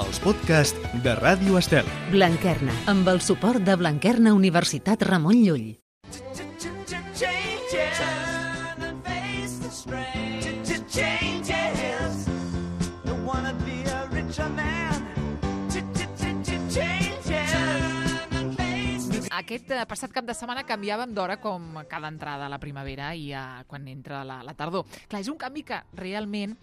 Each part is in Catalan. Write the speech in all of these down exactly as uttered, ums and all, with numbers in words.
els podcasts de Ràdio Estel. Blanquerna, amb el suport de Blanquerna Universitat Ramon Llull. Aquest passat cap de setmana canviàvem d'hora com cada entrada a la primavera i a, quan entra la, la tardor. Clar, és un canvi que realment,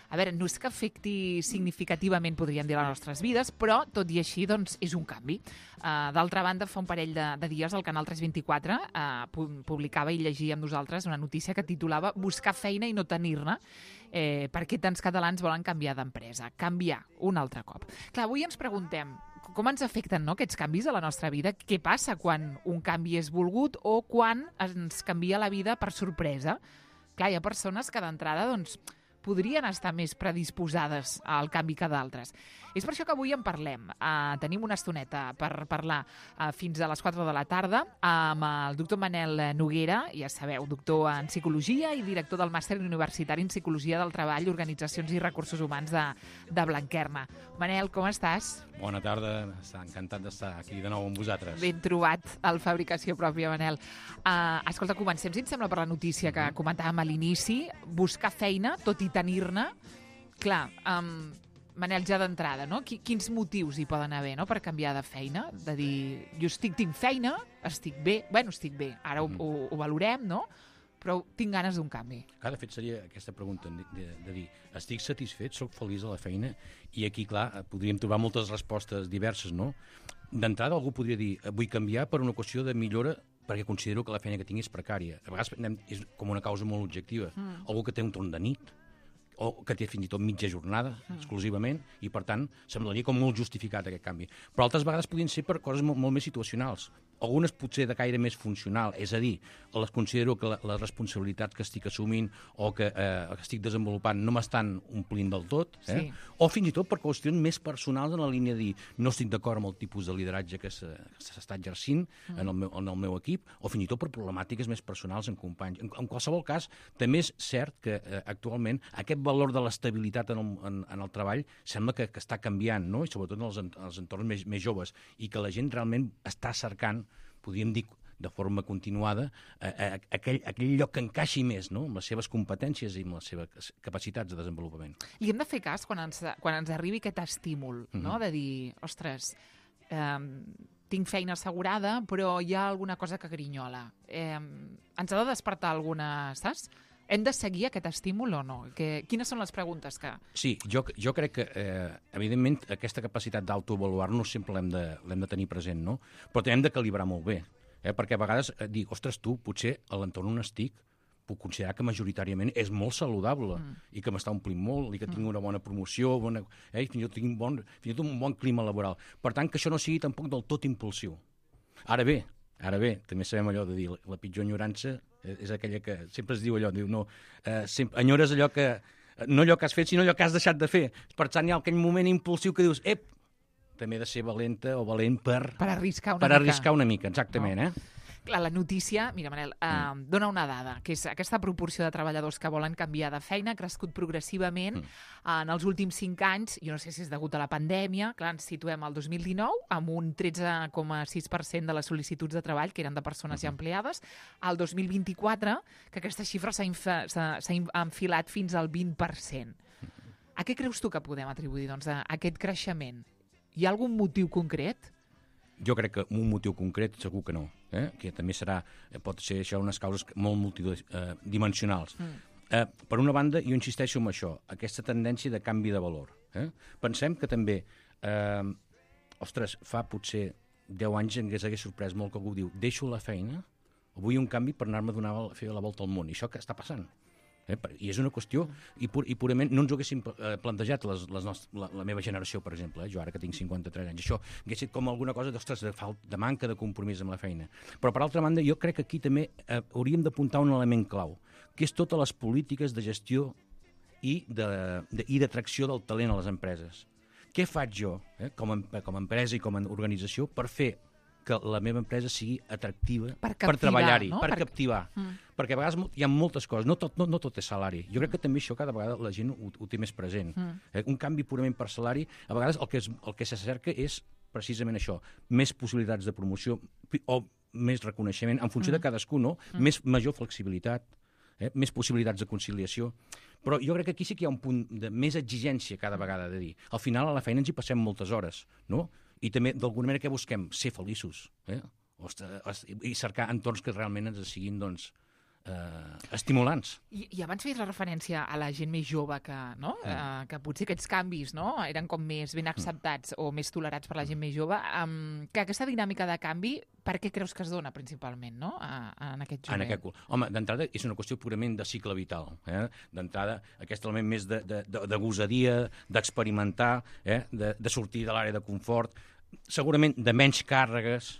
a veure, no és que afecti significativament, podríem dir, les nostres vides, però, tot i així, doncs, és un canvi. Uh, D'altra banda, fa un parell de, de dies el canal tres vint-i-quatre uh, publicava i llegia amb nosaltres una notícia que titulava «Buscar feina i no tenir-ne». Eh, per què tants catalans volen canviar d'empresa? Canviar un altre cop. Clar, avui ens preguntem com ens afecten, no, aquests canvis a la nostra vida? Què passa quan un canvi és volgut o quan ens canvia la vida per sorpresa? Clar, hi ha persones que d'entrada doncs, podrien estar més predisposades al canvi que d'altres. És per això que avui en parlem. Uh, tenim una estoneta per parlar uh, fins a les quatre de la tarda amb el doctor Manel Noguera, ja sabeu, doctor en Psicologia i director del Màster Universitari en Psicologia del Treball, Organitzacions i Recursos Humans de, de Blanquerna. Manel, com estàs? Bona tarda, encantat d'estar aquí de nou amb vosaltres. Ben trobat al Fabricació Pròpia, Manel. Uh, escolta, comencem, si et sembla, per la notícia que comentàvem a l'inici. Buscar feina, tot i tenir-ne. Clar, um, Manel, ja d'entrada, no? Quins motius hi poden haver, no?, per canviar de feina? De dir, jo estic, tinc feina, estic bé, bueno, estic bé, ara ho, ho, ho valorem, no?, però tinc ganes d'un canvi. Clar, de fet, seria aquesta pregunta de, de, de dir, estic satisfet, soc feliç a la feina, i aquí, clar, podríem trobar moltes respostes diverses, no? D'entrada, algú podria dir, vull canviar per una qüestió de millora perquè considero que la feina que tinc és precària. A vegades anem, és com una causa molt objectiva. Mm. Algú que té un torn de nit, o que té fins i tot mitja jornada, mm. exclusivament, i per tant semblaria com molt justificat aquest canvi. Però altres vegades podrien ser per coses molt, molt més situacionals. Algunes potser de caire més funcional, és a dir, les considero que la, les responsabilitats que estic assumint o que, eh, que estic desenvolupant no m'estan omplint del tot, eh? Sí. O fins i tot per qüestions més personals en la línia de dir no estic d'acord amb el tipus de lideratge que s'està exercint mm. en, el meu, en el meu equip, o fins i tot per problemàtiques més personals en companys. En, en qualsevol cas, també és cert que eh, actualment aquest valor de l'estabilitat en, el, en, en el treball sembla que, que està canviant, no? I sobretot en els, en els entorns més, més joves, i que la gent realment està cercant, podríem dir de forma continuada, eh, eh, aquell, aquell lloc que encaixi més, no?, amb les seves competències i amb les seves capacitats de desenvolupament. Li hem de fer cas quan ens, quan ens arribi aquest estímul, mm-hmm. no?, de dir, ostres, eh, tinc feina assegurada, però hi ha alguna cosa que grinyola. Eh, ens ha de despertar alguna, saps? Hem de seguir aquest estímul o no? Que, quines són les preguntes que... Sí, jo, jo crec que, eh, evidentment, aquesta capacitat d'autoavaluar-nos sempre l'hem de, l'hem de tenir present, no? Però també hem de calibrar molt bé, eh? Perquè a vegades eh, dic, ostres, tu, potser a l'entorn on estic puc considerar que majoritàriament és molt saludable mm. i que m'està omplint molt i que tinc una bona promoció, bona, eh, fins i tot tinc un bon, fins i tot un bon clima laboral. Per tant, que això no sigui tampoc del tot impulsiu. Ara bé, Ara bé, també sabem allò de dir la pitjor enyorança és aquella que sempre es diu allò, diu, no, eh, sempre, enyores allò que, no allò que has fet, sinó allò que has deixat de fer. Per tant, hi ha aquell moment impulsiu que dius, ep, també he de ser valenta o valent per... Per arriscar una per mica. Per arriscar una mica, exactament, no? eh? Clar, la notícia, mira, Manel, eh, mm. dona una dada, que és aquesta proporció de treballadors que volen canviar de feina ha crescut progressivament mm. en els últims cinc anys, jo no sé si és degut a la pandèmia, clar, ens situem al dos mil dinou amb un tretze coma sis per cent de les sol·licituds de treball que eren de persones mm. ja empleades, al dos mil vint-i-quatre, que aquesta xifra s'ha infa- s'ha s'ha enfilat fins al vint per cent. Mm. A què creus tu que podem atribuir, doncs, a aquest creixement? Hi ha algun motiu concret? Jo crec que un motiu concret segur que no, eh? Que també serà, pot ser això unes causes molt multidimensionals. Mm. Eh, per una banda, jo insisteixo en això, aquesta tendència de canvi de valor. Eh? Pensem que també, eh, ostres, fa potser deu anys ens hagués sorprès molt que algú diu deixo la feina o vull un canvi per anar-me a donar a fer la volta al món. I això que està passant. Eh? I és una qüestió, i, pur, i purament no ens ho haguéssim plantejat les, les nostres, la, la meva generació, per exemple, eh? Jo ara que tinc cinquanta-tres anys, això hagués estat com alguna cosa d'ostres, de, de manca de compromís amb la feina. Però per altra banda, jo crec que aquí també eh, hauríem d'apuntar un element clau, que és totes les polítiques de gestió i de, de, i d'atracció del talent a les empreses. Què faig jo, eh, com, a, com a empresa i com a organització, per fer que la meva empresa sigui atractiva per, per treballar-hi, no? per, per captivar. Mm. Perquè a vegades hi ha moltes coses, no tot, no, no tot és salari. Jo crec que també això cada vegada la gent ho, ho té més present. Mm. Eh? Un canvi purament per salari, a vegades el que, és, el que se cerca és precisament això, més possibilitats de promoció o més reconeixement en funció mm. de cadascú, no? Mm. Més, major flexibilitat, eh? Més possibilitats de conciliació. Però jo crec que aquí sí que hi ha un punt de més exigència cada vegada de dir. Al final a la feina ens hi passem moltes hores, no? I també, d'alguna manera, què busquem? Ser feliços, eh? Ostres, i cercar entorns que realment ens siguin, doncs, eh, estimulants. I, I abans feies la referència a la gent més jove que, no? Mm. eh, que potser aquests canvis, no? Eren com més ben acceptats mm. o més tolerats per la gent més jove. Um, que aquesta dinàmica de canvi, per què creus que es dona principalment, no? A, a, en aquest jovent? En aquest... Home, d'entrada és una qüestió purament de cicle vital. Eh? D'entrada, aquest element més de, de, de, de gosadia, d'experimentar, eh? de, de sortir de l'àrea de confort, segurament de menys càrregues,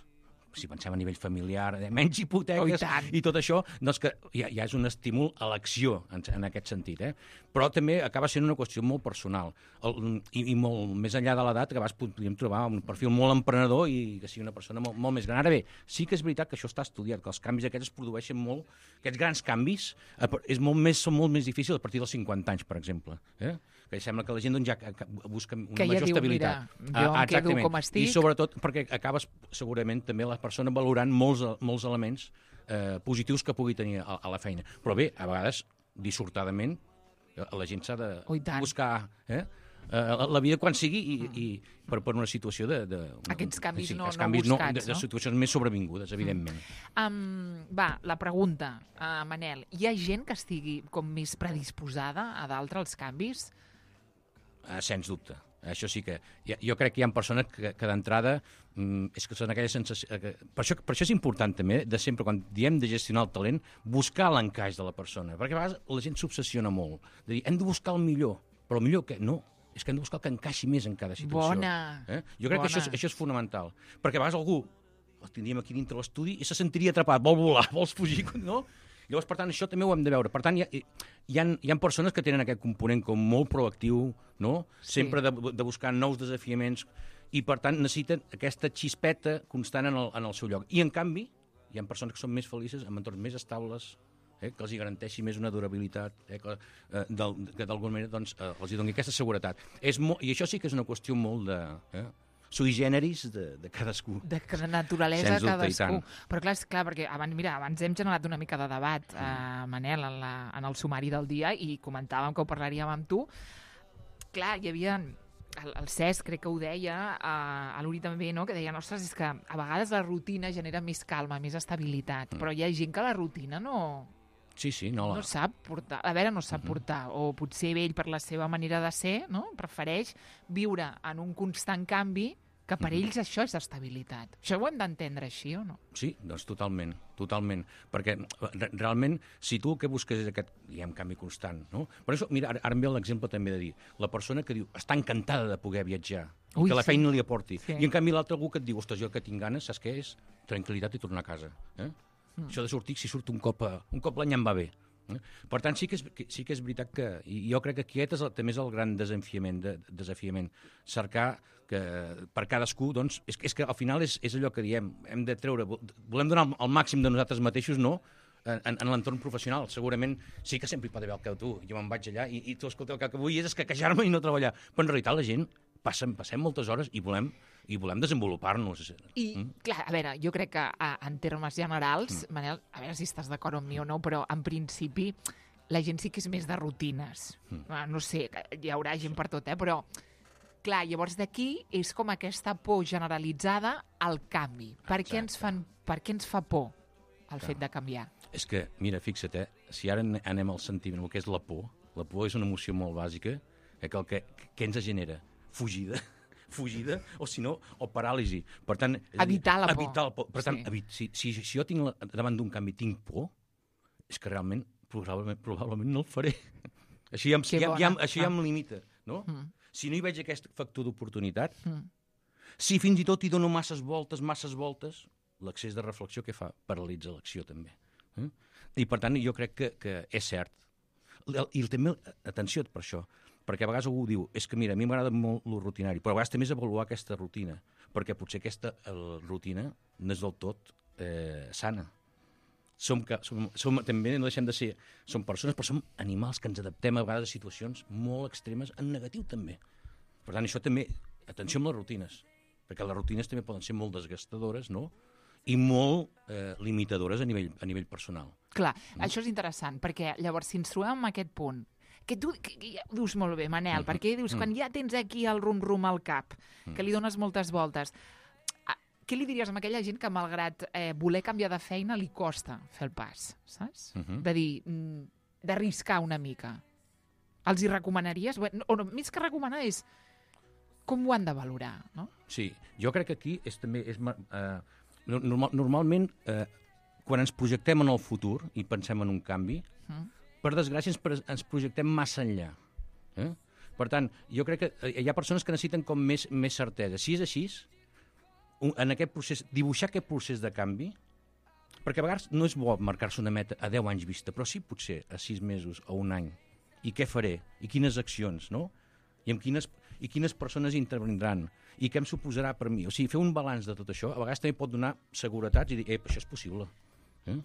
si pensem a nivell familiar, de menys hipoteques oh, i, i tot això, doncs que ja, ja és un estímul a l'acció en, en aquest sentit. Eh? Però també acaba sent una qüestió molt personal el, i, i molt més enllà de l'edat, que a vegades podríem trobar un perfil molt emprenedor i que sigui una persona molt, molt més gran. Ara bé, sí que és veritat que això està estudiat, que els canvis aquests es produeixen molt, aquests grans canvis és molt més, són molt més difícils a partir dels cinquanta anys, per exemple. Eh? Que sembla que la gent doncs, ja busca una que ja major diu, estabilitat. Mira, jo ah, em quedo com estic. I sobretot perquè acabes segurament també la persona valorant molts, molts elements eh, positius que pugui tenir a, a la feina. Però bé, a vegades, dissortadament, la gent s'ha de oh, buscar eh, la, la vida quan sigui i, mm. i per, per una situació de... de Aquests canvis sí, no, no canvis no buscats, no? De, de no? situacions més sobrevingudes, evidentment. Mm. Um, va, la pregunta, uh, Manel. Hi ha gent que estigui com més predisposada a d'altres als canvis? Uh, sens dubte. Això sí que... Jo crec que hi ha persones que, que d'entrada mm, és que són aquella sensació... Que, per, això, per això és important també, de sempre, quan diem de gestionar el talent, buscar l'encaix de la persona. Perquè a vegades la gent s'obsessiona molt. De dir, hem de buscar el millor. Però el millor que... No, és que hem de buscar el que encaixi més en cada situació. Bona! Eh? Jo crec Bona. que això és, això és fonamental. Perquè a vegades algú el tindríem aquí dintre l'estudi i se sentiria atrapat, vol volar, vols fugir, no? Llavors, per tant, això també ho hem de veure. Per tant, hi ha, hi ha, hi ha persones que tenen aquest component com molt proactiu, no? Sí. Sempre de, de buscar nous desafiaments i, per tant, necessiten aquesta xispeta constant en el, en el seu lloc. I, en canvi, hi ha persones que són més felices amb entorns més estables, eh, que els hi garanteixi més una durabilitat, eh, que, eh, del, que d'alguna manera doncs, eh, els hi doni aquesta seguretat. És mo- I això sí que és una qüestió molt de... Eh, sui generis de, de cadascú. De, de naturalesa Sens dubte, cadascú. Però clar, és clar, perquè abans, mira, abans hem generat una mica de debat, mm. eh, Manel, en, la, en el sumari del dia, i comentàvem que ho parlaríem amb tu. Clar, hi havia... El, el Cesc crec que ho deia, eh, a l'Uri també, no?, que deien, ostres, és que a vegades la rutina genera més calma, més estabilitat, mm. però hi ha gent que la rutina no... Sí, sí, no, la... no sap portar, a veure, no sap uh-huh. portar, o potser ell per la seva manera de ser, no?, prefereix viure en un constant canvi, que per uh-huh. ells això és estabilitat. Això ho hem d'entendre així, o no? Sí, doncs totalment, totalment. Perquè re realment, si tu el que busques és aquest, diguem, canvi constant, no? Per això, mira, ara, ara em ve l'exemple també de dir, la persona que diu, està encantada de poder viatjar, Ui, que la feina sí. li aporti, sí. i en canvi l'altre algú que et diu, ostres, jo que tinc ganes, saps què és? Tranquil·litat i tornar a casa. Eh? Mm. Això de sortir, si surt un cop, a, un cop l'any em va bé. Eh? Per tant, sí que, és, que, sí que és veritat que... I jo crec que aquest és el, també és el gran desafiament, de, desafiament. Cercar que per cadascú, doncs... És, és que al final és, és allò que diem, hem de treure... Volem donar el màxim de nosaltres mateixos, no?, en, en l'entorn professional. Segurament sí que sempre hi pot haver el que tu. Jo me'n vaig allà i, i tu, escolta, el que vull és escaquejar-me i no treballar. Però en realitat la gent passem, passem moltes hores i volem... i volem desenvolupar-nos. I, mm? clar, a veure, jo crec que a, en termes generals, mm. Manel, a veure si estàs d'acord amb mi o no, però en principi la gent sí que és més de rutines. Mm. No sé, hi haurà gent per tot, eh? Però, clar, llavors d'aquí és com aquesta por generalitzada al canvi. Per què ens, fan, per què ens fa por el clar. fet de canviar? És que, mira, fixa't, eh? Si ara anem al sentiment, el que és la por, la por és una emoció molt bàsica, eh, que el que, que ens genera? Fugida. fugida, o si no, o paràlisi. Per tant, evitar la por. Evitar la por. Per tant, sí. si, si, si jo tinc la, davant d'un canvi tinc por, és que realment probablement, probablement no el faré. Així ja, ja, ja, això ja em limita, no? Mm. Si no hi veig aquest factor d'oportunitat, mm. si fins i tot hi dono masses voltes, masses voltes, l'excés de reflexió què fa? Paralitza l'acció, també. Eh? I, per tant, jo crec que, que és cert. I també, atenció per això, perquè a vegades algú diu, és que mira, a mi m'agrada molt el rutinari, però a vegades també és avaluar aquesta rutina, perquè potser aquesta el, rutina no és del tot eh, sana. Som, que, som, som, també no deixem de ser... Som persones, però som animals que ens adaptem a vegades a situacions molt extremes, en negatiu també. Per tant, això també... Atenció amb les rutines, perquè les rutines també poden ser molt desgastadores, no?, i molt eh, limitadores a nivell, a nivell personal. Clar, mm. això és interessant, perquè llavors, si ens trobem en aquest punt, que tu que, que ja ho dius molt bé, Manel, mm-hmm. perquè dius, mm. quan ja tens aquí el rum-rum al cap, mm. que li dones moltes voltes, què li diries a aquella gent que, malgrat eh, voler canviar de feina, li costa fer el pas, saps? Mm-hmm. De dir, d'arriscar una mica. Els hi recomanaries? O no, més que recomanar és com ho han de valorar, no? Sí, jo crec que aquí és també... És, eh, normal, normalment, eh, quan ens projectem en el futur i pensem en un canvi, mm. per desgràcia ens, ens projectem massa enllà. Eh? Per tant, jo crec que hi ha persones que necessiten com més, més certesa. Si és així, en aquest procés, dibuixar aquest procés de canvi, perquè a vegades no és bo marcar-se una meta a deu anys vista, però sí potser a sis mesos o un any. I què faré? I quines accions, no? I amb quines, i quines persones intervindran? I què em suposarà per mi? O sigui, fer un balanç de tot això, a vegades també pot donar seguretats i dir, eh, això és possible. Eh?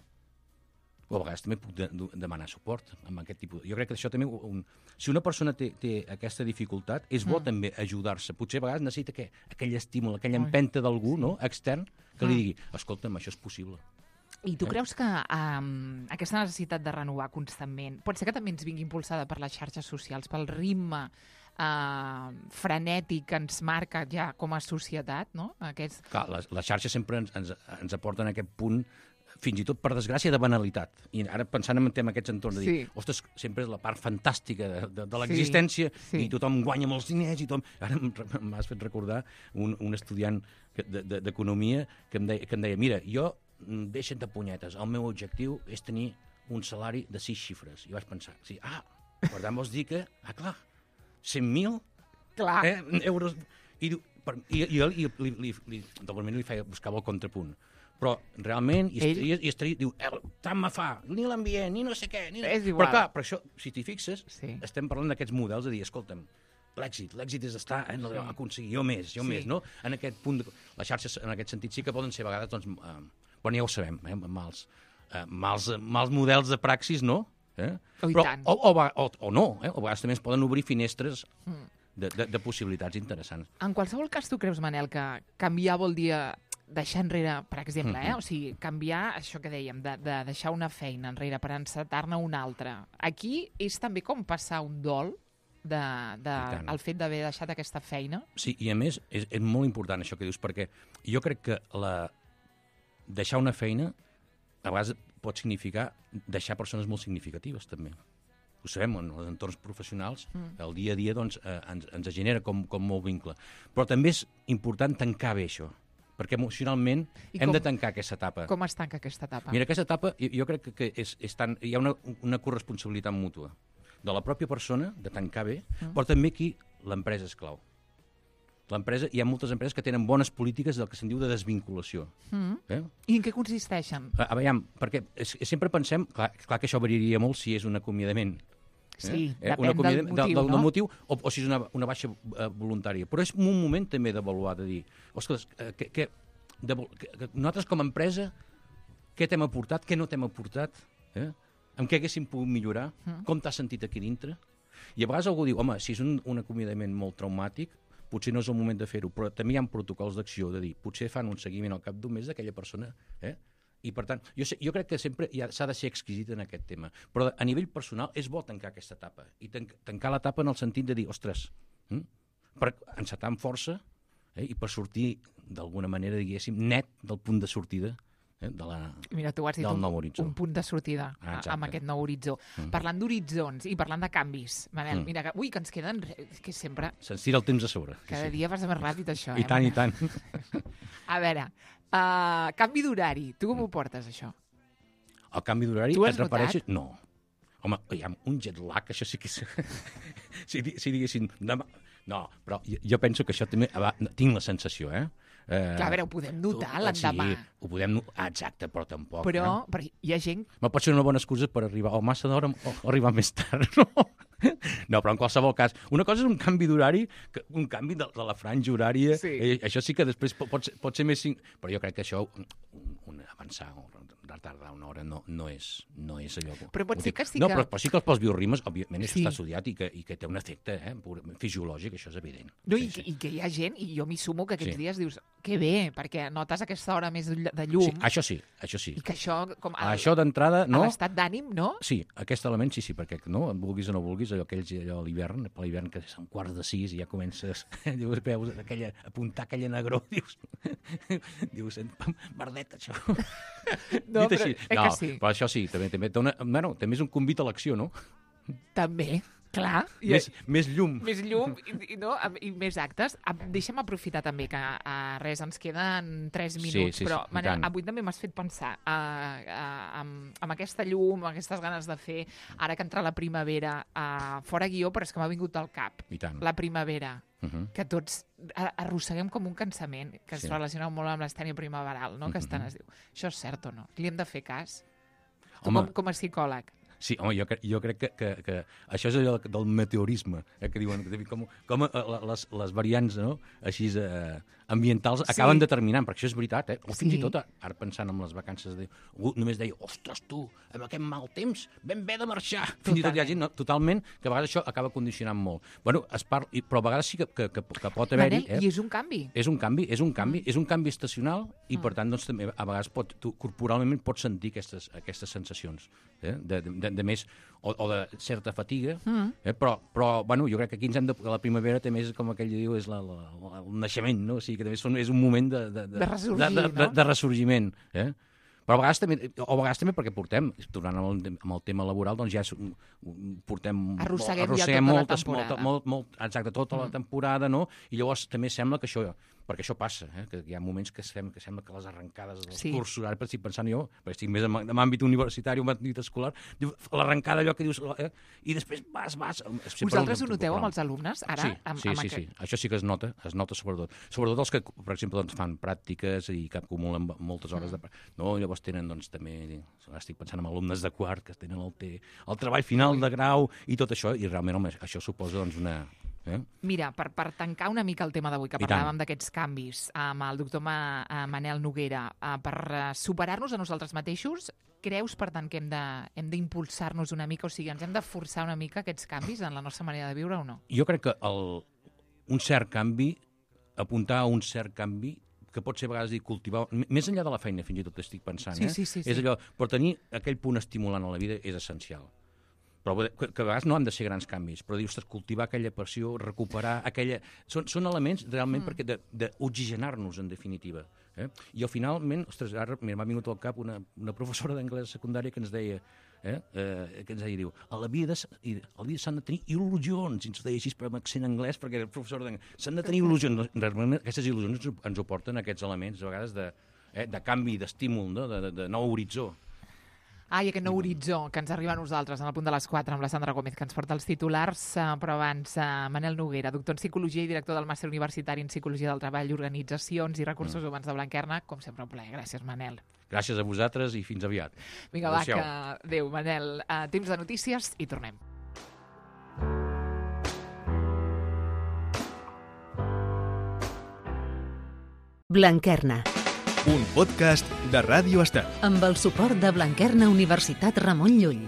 O a vegades també puc de, de, demanar suport amb aquest tipus. Jo crec que això també... Un, si una persona té, té aquesta dificultat, és bo mm. també ajudar-se. Potser a vegades necessita que, aquell estímul, aquella empenta d'algú, sí. no?, extern, que li digui, escolta'm, això és possible. I tu eh? creus que um, aquesta necessitat de renovar constantment pot ser que també ens vingui impulsada per les xarxes socials, pel ritme uh, frenètic que ens marca ja com a societat, no? Aquests... Clar, les, les xarxes sempre ens, ens, ens aporten aquest punt, fins i tot per desgràcia, de banalitat. I ara pensant en aquests entorns, de dir, sí. ostres, sempre és la part fantàstica de, de, de l'existència, sí, sí. i tothom guanya molts diners, i tothom... Ara m'has fet recordar un, un estudiant d'economia que, em deia, que em deia, mira, jo, deixa't de punyetes, el meu objectiu és tenir un salari de sis xifres. I vaig pensar, sí, ah, per tant vols dir que, ah, clar, cent mil eh, euros... I, per, i, i, i, li, li, li, del moment li feia, buscava el contrapunt. Però realment, i estaria, i estaria diu, tant me fa, ni l'ambient, ni no sé què, ni... És igual. Però clar, per això, si t'hi fixes, sí. estem parlant d'aquests models de dir, escolta'm, l'èxit, l'èxit és estar, eh, no, sí. aconseguir jo més, jo sí. més, no? En aquest punt, de, les xarxes, en aquest sentit, sí que poden ser a vegades, doncs, eh, bueno, ja ho sabem, eh, mals, eh, mals, mals models de praxis, no? Eh? Oh, Però, tant. o, o, o, o no, eh? O a vegades també es poden obrir finestres mm. de, de, de possibilitats interessants. En qualsevol cas, tu creus, Manel, que canviar vol dir deixar enrere, per exemple, eh? O sigui, canviar això que dèiem, de, de deixar una feina enrere per encetar-ne una altra. Aquí és també com passar un dol de, de, el fet d'haver deixat aquesta feina? Sí, i a més és, és molt important això que dius, perquè jo crec que la, deixar una feina a vegades pot significar deixar persones molt significatives, també. Ho sabem, en els entorns professionals, mm. el dia a dia doncs, eh, ens, ens genera com, com molt vincle. Però també és important tancar bé això, perquè emocionalment I hem com, de tancar aquesta etapa. Com es tanca aquesta etapa? Mira, aquesta etapa jo, jo crec que és, és tan, hi ha una, una corresponsabilitat mútua de la pròpia persona, de tancar bé, mm. però també aquí l'empresa és clau. L'empresa, hi ha moltes empreses que tenen bones polítiques del que se'n diu de desvinculació. Mm. Eh? I en què consisteixen? A, a veure, perquè és, sempre pensem, clar, clar que això variaria molt si és un acomiadament. Sí, eh? depèn un del motiu, del, del, no? del motiu o, o si és una, una baixa uh, voluntària. Però és un moment també d'avaluar, de dir, ostres, que, que, de, que, que nosaltres com a empresa, què t'hem aportat, què no t'hem aportat, eh? amb què haguéssim pogut millorar, mm. com t'has sentit aquí dintre. I a vegades algú diu, home, si és un, un acomiadament molt traumàtic, potser no és el moment de fer-ho, però també hi ha protocols d'acció, de dir, potser fan un seguiment al cap d'un mes d'aquella persona, eh? I, per tant, jo, sé, jo crec que sempre s'ha de ser exquisit en aquest tema. Però a nivell personal és bo tancar aquesta etapa. I tan, tancar l'etapa en el sentit de dir, ostres, hm? per encetar amb força eh? i per sortir d'alguna manera, diguéssim, net del punt de sortida eh? de la, Mira, tu has dit del un, nou horitzó. Un punt de sortida ah, amb aquest nou horitzó. Mm. Parlant d'horitzons i parlant de canvis, Manel, mm. mira, que, ui, que ens queden... que sempre... Se'ns tira el temps a sobre. Cada sí. dia vas més ràpid, això. I eh, tant, Manel? i tant. A veure... Uh, canvi d'horari. Tu com ho portes, això? El canvi d'horari et refereixes... No. Home, hi ha un jet lag, això sí que és... si, si diguéssim... Demà... No, però jo, jo penso que això també... Tinc la sensació, eh? Eh, Clar, a veure, ho podem notar l'endemà. Sí, ho podem notar, exacte, però tampoc. Però, eh? però hi ha gent... Ma pot ser una bona excusa per arribar o massa d'hora o arribar més tard, no? No, però en qualsevol cas, una cosa és un canvi d'horari, que- un canvi de, de la franja horària, Sí. eh, això sí que després pot, pot, ser, pot ser més... cinc- Però jo crec que això, un, un avançar o retardar una hora no, no, és, no és allò... Però pot ho ser dic. que sí no, que- però, però sí que pels bioritmes, òbviament, això Sí. està estudiat i que, i que té un efecte eh, pur, fisiològic, això és evident. No, i, Sí, sí. I que hi ha gent, i jo m'hi sumo, que aquests Sí. dies dius, que bé, perquè notes aquesta hora més de de llum, Sí, això sí, això sí. i que això, com a, Això d'entrada, no? a l'estat d'ànim, no? Sí, aquest element sí, sí, perquè no, vulguis o no vulguis, allò, aquells, allò a l'hivern, per l'hivern que és un quart de sis i ja comences, dius, veus aquella, apuntar aquella negró, dius, dius, merdeta, això. No, Dit però així. eh no, que sí. però això sí, també, també, té una, bueno, també és un convit a l'acció, no? També, clar. I, Més, més llum. més llum i, i, no, am- i més actes. Am- Deixa'm aprofitar també que uh, res, ens queden tres Sí, minuts, sí, sí, però i Manel, tant. avui també m'has fet pensar uh, uh, amb, amb aquesta llum, amb aquestes ganes de fer, ara que entra la primavera, uh, fora guió, però és que m'ha vingut al cap. I tant. La primavera, Uh -huh. que tots a- arrosseguem com un cansament, que es Sí. relaciona molt amb l'estènia primaveral, no? que Mhm. estan es diu. Això és cert o no? Li hem de fer cas? Tu Home. com, com a psicòleg. Sí, home, jo, cre jo crec que, que, que això és allò del meteorisme, eh, que diuen que com, com eh, les, les variants no? així eh, ambientals Sí. acaben determinant, perquè això és veritat, eh? o fins Sí. i tot, ara pensant en les vacances, de, algú només deia, ostres, tu, amb aquest mal temps, ben bé de marxar. Fins i tot hi ha gent, no? Totalment, que a vegades això acaba condicionant molt. Bueno, es parla, i, però a vegades sí que, que, que, que pot haver-hi... Manel, i és un canvi. És un canvi, és un canvi, mm. és un canvi estacional i, per tant, doncs, també a vegades pot, tu, corporalment pots sentir aquestes, aquestes sensacions eh? de, de, de més, o, o de certa fatiga, mm. eh? però, però bueno, jo crec que aquí ens hem de... La primavera també és, com aquell diu, és la, la, la, el naixement, no? O sigui, que també són, és un moment de... De, De ressorgir, de, de, no? de, de ressorgiment, eh? Però a vegades també, o a vegades també perquè portem, tornant amb el, amb el tema laboral, doncs ja és, un- un- portem... Arrosseguem ja arrosseguem tota la moltes, temporada. molta, molt, molt, exacte, tota la temporada, no? I llavors també sembla que això, perquè això passa, eh? Que hi ha moments que, sem, que sembla que les arrencades dels Sí. cursos, ara estic pensant jo, perquè estic més en, en àmbit universitari o en àmbit escolar, diu, l'arrencada allò que dius, eh? I després vas, vas... Vosaltres ho noteu amb els alumnes, ara? Sí, amb, sí, amb sí, aquest- sí, això sí que es nota, es nota sobretot. Sobretot els que, per exemple, doncs, fan pràctiques i que acumulen moltes hores de... Mm. No, llavors tenen, doncs, també... Estic pensant en alumnes de quart que tenen el, te, el treball final de grau i tot això, i realment, home, això suposa, doncs, una... Eh? Mira, per, per tancar una mica el tema d'avui, que I tant. parlàvem d'aquests canvis amb el doctor Ma, eh, Manel Noguera, eh, per eh, superar-nos a nosaltres mateixos, creus, per tant, que hem de- hem d'impulsar-nos una mica, o sigui, ens hem de forçar una mica aquests canvis en la nostra manera de viure o no? Jo crec que el, un cert canvi, apuntar a un cert canvi, que pot ser a vegades dir cultivar, m- més enllà de la feina, fins i tot estic pensant, Sí, eh? sí, sí, És sí. allò, però tenir aquell punt estimulant a la vida és essencial. Però que, que a vegades no han de ser grans canvis, però dir, ostres, cultivar aquella passió, recuperar aquella... Són, són elements realment mm. perquè de- d'oxigenar-nos, en definitiva. Eh? I al finalment, ostres, ara mira, m'ha vingut al cap una, una professora d'anglès secundària que ens deia, eh? Eh, que ens deia, diu, a la vida, s- i a la vida s'han de tenir il·lusions, i ens ho deia així per amb accent anglès, perquè era professor d'anglès, s'han de tenir il·lusions. Realment, aquestes il·lusions ens, ho- ens ho porten aquests elements, a vegades, de, eh? de canvi, d'estímul, no? de, de, de nou horitzó. Ah, i aquest nou horitzó que ens arriba a nosaltres en el punt de les quatre amb la Sandra Gómez, que ens porta els titulars, eh, però abans eh, Manel Noguera, doctor en Psicologia i director del Màster Universitari en Psicologia del Treball, Organitzacions i Recursos Humans de Blanquerna. Com sempre, un plaer. Gràcies, Manel. Gràcies a vosaltres i fins aviat. Vinga, va, Adéu-siau. que... Adéu, Manel. Uh, temps de notícies i tornem. Blanquerna, Un podcast de Ràdio Estel. amb el suport de Blanquerna Universitat Ramon Llull.